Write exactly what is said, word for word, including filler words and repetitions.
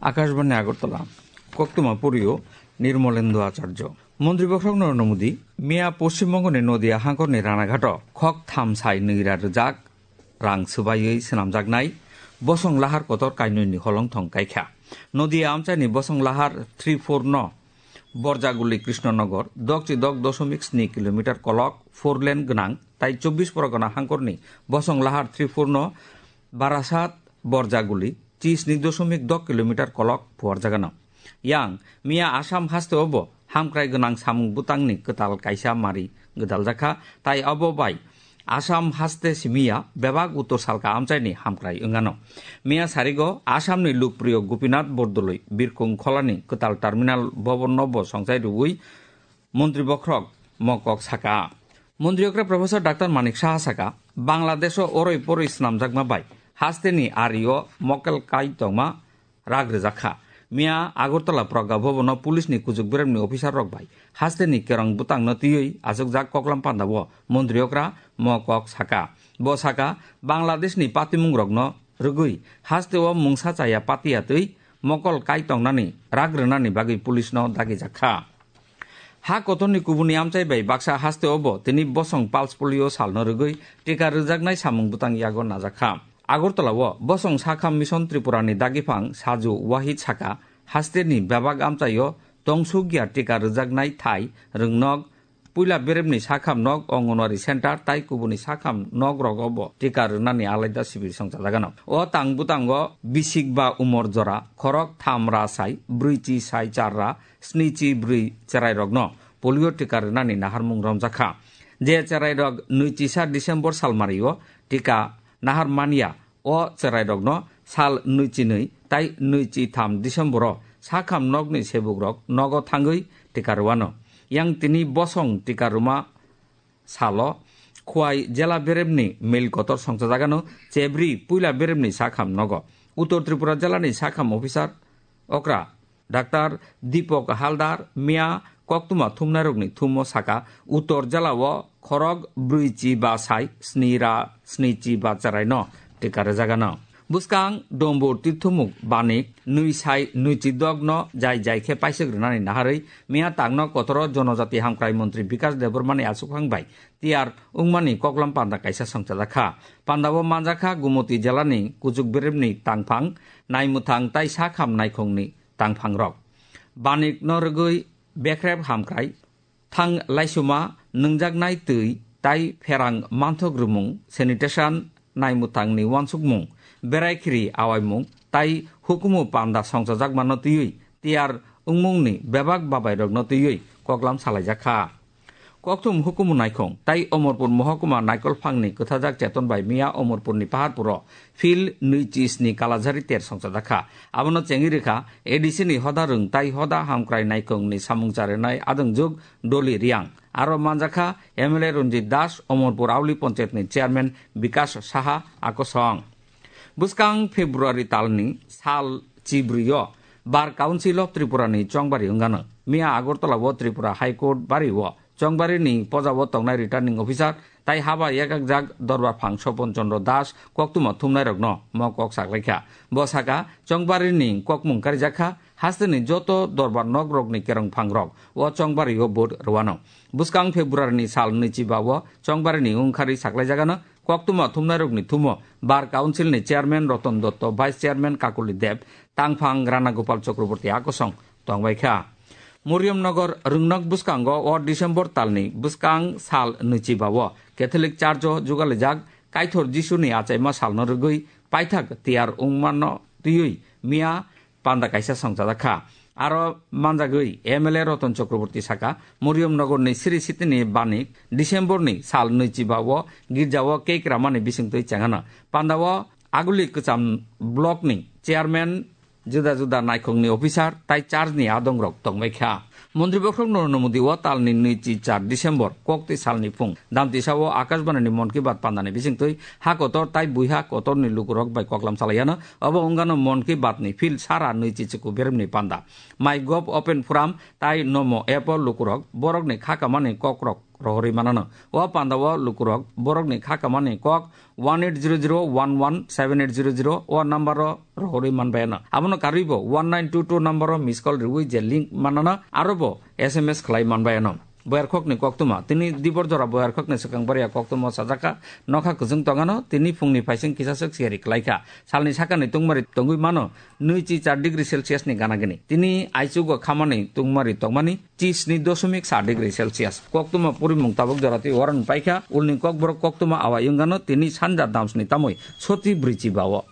Akashbani Agartala, koktwma poriyo Nirmolendu Acharjo. Montri Bokhorok Narendra Modi miya Poschim Bongoni Nodia hangkorni Ranaghato khok tham sai nwira rwjak rang swbaiwi swnamjaknai bosong lahar kotor kainwini holongthong kaikha. Nodia amchaini bosong lahar three four no Borjaguli Krishnanagar, dokchi dok dosomik sni kilometer kolok four lane gwnang tai chobbish Porgona hangkorni bosong lahar three four no Barasat Borjaguli chisni dosomik dok kilometer kolok phuarjagano. Yang miya Assam hasteo bo hamkrai gwnang samung bwtangni kwtal kaisa mari gwdaljakha, tai abo bai Assam haste simiya bebak uttor salka amchaini hamkrai wngano. Miya sarigo Assamni lukpriyo Gopinath Bordoloi Birkung Kholani kwtal terminal bobonno bo songchai rwui Montri Bokhorok mokok saka. Montri okra Professor Doctor Manik Saha saka, Bangladesho oroi poroi swnamjakma bai hasteni ario mokel kai tongma rak rwjak kha. Miya Agartala Pragya Bhavan-o police ni kuchuk beremni officer rok bai hasteni kerong bwtangno twiwi achukjak koklam pandao montri okra mo kok saka. Bo saka, Bangladesh ni patimung rokno rwgwi hasteo mungsa chaya patiya twi mokol kai tongnani rak rwnani bagwi police no dagijak kha. Ha kotorni kubuni amchai bai baksa hasteo bo tini bosong pulse polio salno rwgwi tika rwjaknai samung bwtang yago najak kha. Agartala-o bosong sakham Mission Tripura ni dagiphang Saju Wahid saka, hasteni bebak amchaio tongsukya tika rwjaknai thai rwngnok, puila beremni sakham nok Anganwadi center tai kubuni sakham nok rogo bo tika rwnani alaida sibir songchajagano. O tang bwtango bisik ba umor jora, khorok tham ra sai, brwi chi sai char ra, sni chi brwi cherai rokno polio tika rwnani naharmung romjak kha. Je cherai rok nwi chisa December salmario tika nahar manya, o cherai rokno sal nwi chi nwi tai nwi chi tham December o sakham nokni sebuk rok nogo thangwi tika rwano. Yang tini bosong tika rwma salo Khwai jela beremni mail kotor songchajagano chebri puila beremni sakham nogo. Uttor Tripura jelani sakham officer okra Doctor Deepak Haldar miya koktwma thumnairokni thumo saka, Uttor jelao khorok brwi chi ba sai sni ra sni chi ba cheraino tika rwjagano. Bwskang Dombur Tirthumuk Banik nwi sai nwi chi dok no jai jai khe paisuk rwnani naharwi miya tangno kotoro Jonojati Hamkrai Montri Bikas Debbarmani achukhang bai tiyar wngmani koklam panda kaisa songchajak kha. Pandao manjak kha Gumoti jelani kuchuk beremni tangphang, naimwthang tai sakham naikhungni tangphangrok. Banikno rwgwi bekrep hamkrai, thang laisuma, nwngjaknai twi tai pherang manthok rwmung, sanitation, naimwthangni uansukmung, berai khiri awaimung tai hukumu panda songchajakmano twiwi tiyar wngmungni bebak babairokno twiwi koklam salaijak kha. Kokthum hukumu naikhung tai Omorpur mohokuma naikolphangni kwthajak cheton bai miya Omorpurni Paharpuro phil nwi chi sni kalajari ter songchajak kha. Abono chengwi rwkha A D C ni hoda rwng tai hoda hamkrai naikhungni samung charinai adongjwk Doli Riang. Aro manjak kha M L A Ranjit Das, Omorpur Auli Panchayatni chairman Bikas Saha, akosong. Bwskang February talni sal chibrwi-o Bar Council of Tripura ni chongbari wngano. Miya Agartala-o Tripura High Court bari-o chongbarini pojao tongnai returning officer tai haba yakakjak dorbar phang Sopon Chandra Das koktwma thumnairokno mo kok saklaikha. Bo saka, chongbarini kokmung karijak kha, hasteni joto dorbar nokrokni kerongphangrok o chongbario vote rwano. Bwskang February ni sal nwi chiba-o chongbarini wngkhari saklaijagano koktwma thumnairokni thumo Bar Council ni chairman Ratan Datta, vice chairman Kakuli Deb, tangphang Rana Gopal Chakraborty akosong tongbaikha. Moriamnagar rwngnok bwskango o December talni bwskang sal nwi chiba-o Catholic Church-o jugalijak Kaithor Jisuni achaima salno rwgwi paithak tiyar wngmano twiwi miya panda kaisa songchajak kha. Aro manjagwi M L A Ratan Chakraborty saka, Moriamnagarni Sri Sitini Banik Decemberni sal nwi chiba-o girjao cake ramani bisingtwi chengano. Pandao Aguli Kwcham Blockni chairman juda juda naikhungni officer tai church ni adongrok tongbai kha. Montri Bokhorok Narendra Modi o talni nwi chi char December koktwi salni phung Damtisa o Akashbani ni Mon Ki Baat pandani bisingtwi ha kotor tai buiha kotorni lukurok bai koklam salaiano. Obo wngano Mon Ki Baat ni phil sara nwi chi chuku beremni panda. My Gov Open Forum tai Namo app o lukurok borokni kha kamani kokrok rohorwi manano. O pandao lukurok borokni kha kamani kok one eight zero zero one one seven eight zero zero o number o rohorwi manbayano. Abono karwibo one nine two two number o miss call riwi je link manano arobo S M S khlai manbayano. Boyarkhokni koktwma. Tini dibor jora boyarkhokni swkang bariya koktwma sajakha nokha kwchwng tongano, tini phungni phaising kisaswk siyari klaikha. Salni sakani tungmari tongwi mano nui chi char degree Celsius ni gana gini. Tini aichugo khamani tungmari tongmani chi sni dosomik sa degree Celsius. Koktwma purimung tabuk jora twi waran paikha, ulni kokborok koktwma awa yungano tini sanja damsni tamoi soti bwrwi chi bao.